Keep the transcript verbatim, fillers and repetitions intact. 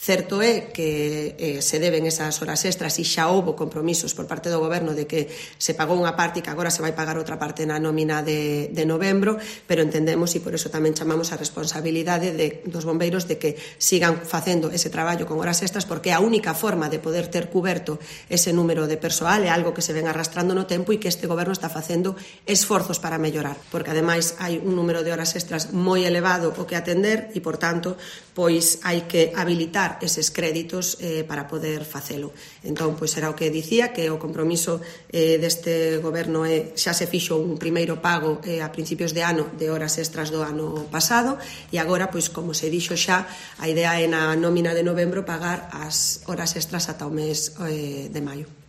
Certo é que eh, se deben esas horas extras e xa houbo compromisos por parte do Goberno de que se pagou unha parte e que agora se vai pagar outra parte na nómina de, de novembro, pero entendemos e por eso tamén chamamos a responsabilidade de, dos bombeiros de que sigan facendo ese traballo con horas extras, porque é a única forma de poder ter cuberto ese número de persoal, é algo que se ven arrastrando no tempo e que este Goberno está facendo esforzos para mellorar, porque ademais hai un número de horas extras moi elevado o que atender e, por tanto, pois hai que habilitar eses créditos eh, para poder facelo. Entón, pois era o que dicía, que o compromiso eh, deste Goberno é, xa se fixo un primeiro pago eh, a principios de ano de horas extras do ano pasado e agora, pois como se dixo xa, a idea é na nómina de novembro pagar as horas extras ata o mes eh, de maio.